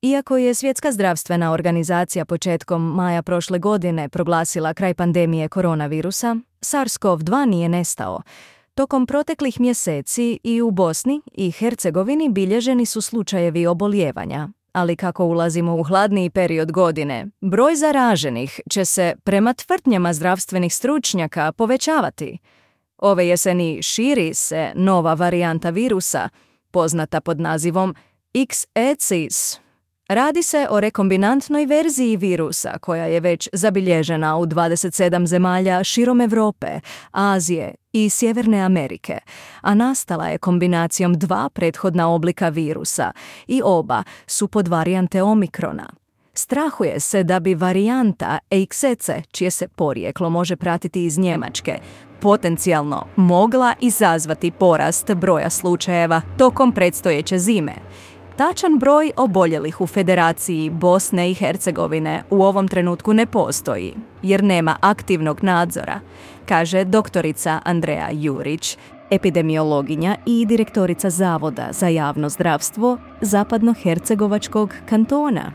Iako je Svjetska zdravstvena organizacija početkom maja prošle godine proglasila kraj pandemije koronavirusa, SARS-CoV-2 nije nestao. Tokom proteklih mjeseci i u Bosni i Hercegovini bilježeni su slučajevi obolijevanja, ali kako ulazimo u hladniji period godine, broj zaraženih će se, prema tvrdnjama zdravstvenih stručnjaka, povećavati. Ove jeseni širi se nova varijanta virusa, poznata pod nazivom XECIS. Radi se o rekombinantnoj verziji virusa koja je već zabilježena u 27 zemalja širom Europe, Azije i Sjeverne Amerike, a nastala je kombinacijom dva prethodna oblika virusa i oba su podvarijante Omikrona. Strahuje se da bi varijanta XECE, čije se porijeklo može pratiti iz Njemačke, potencijalno mogla izazvati porast broja slučajeva tokom predstojeće zime. Tačan broj oboljelih u Federaciji Bosne i Hercegovine u ovom trenutku ne postoji, jer nema aktivnog nadzora, kaže doktorica Andreja Jurić, epidemiologinja i direktorica Zavoda za javno zdravstvo Zapadnohercegovačkog kantona.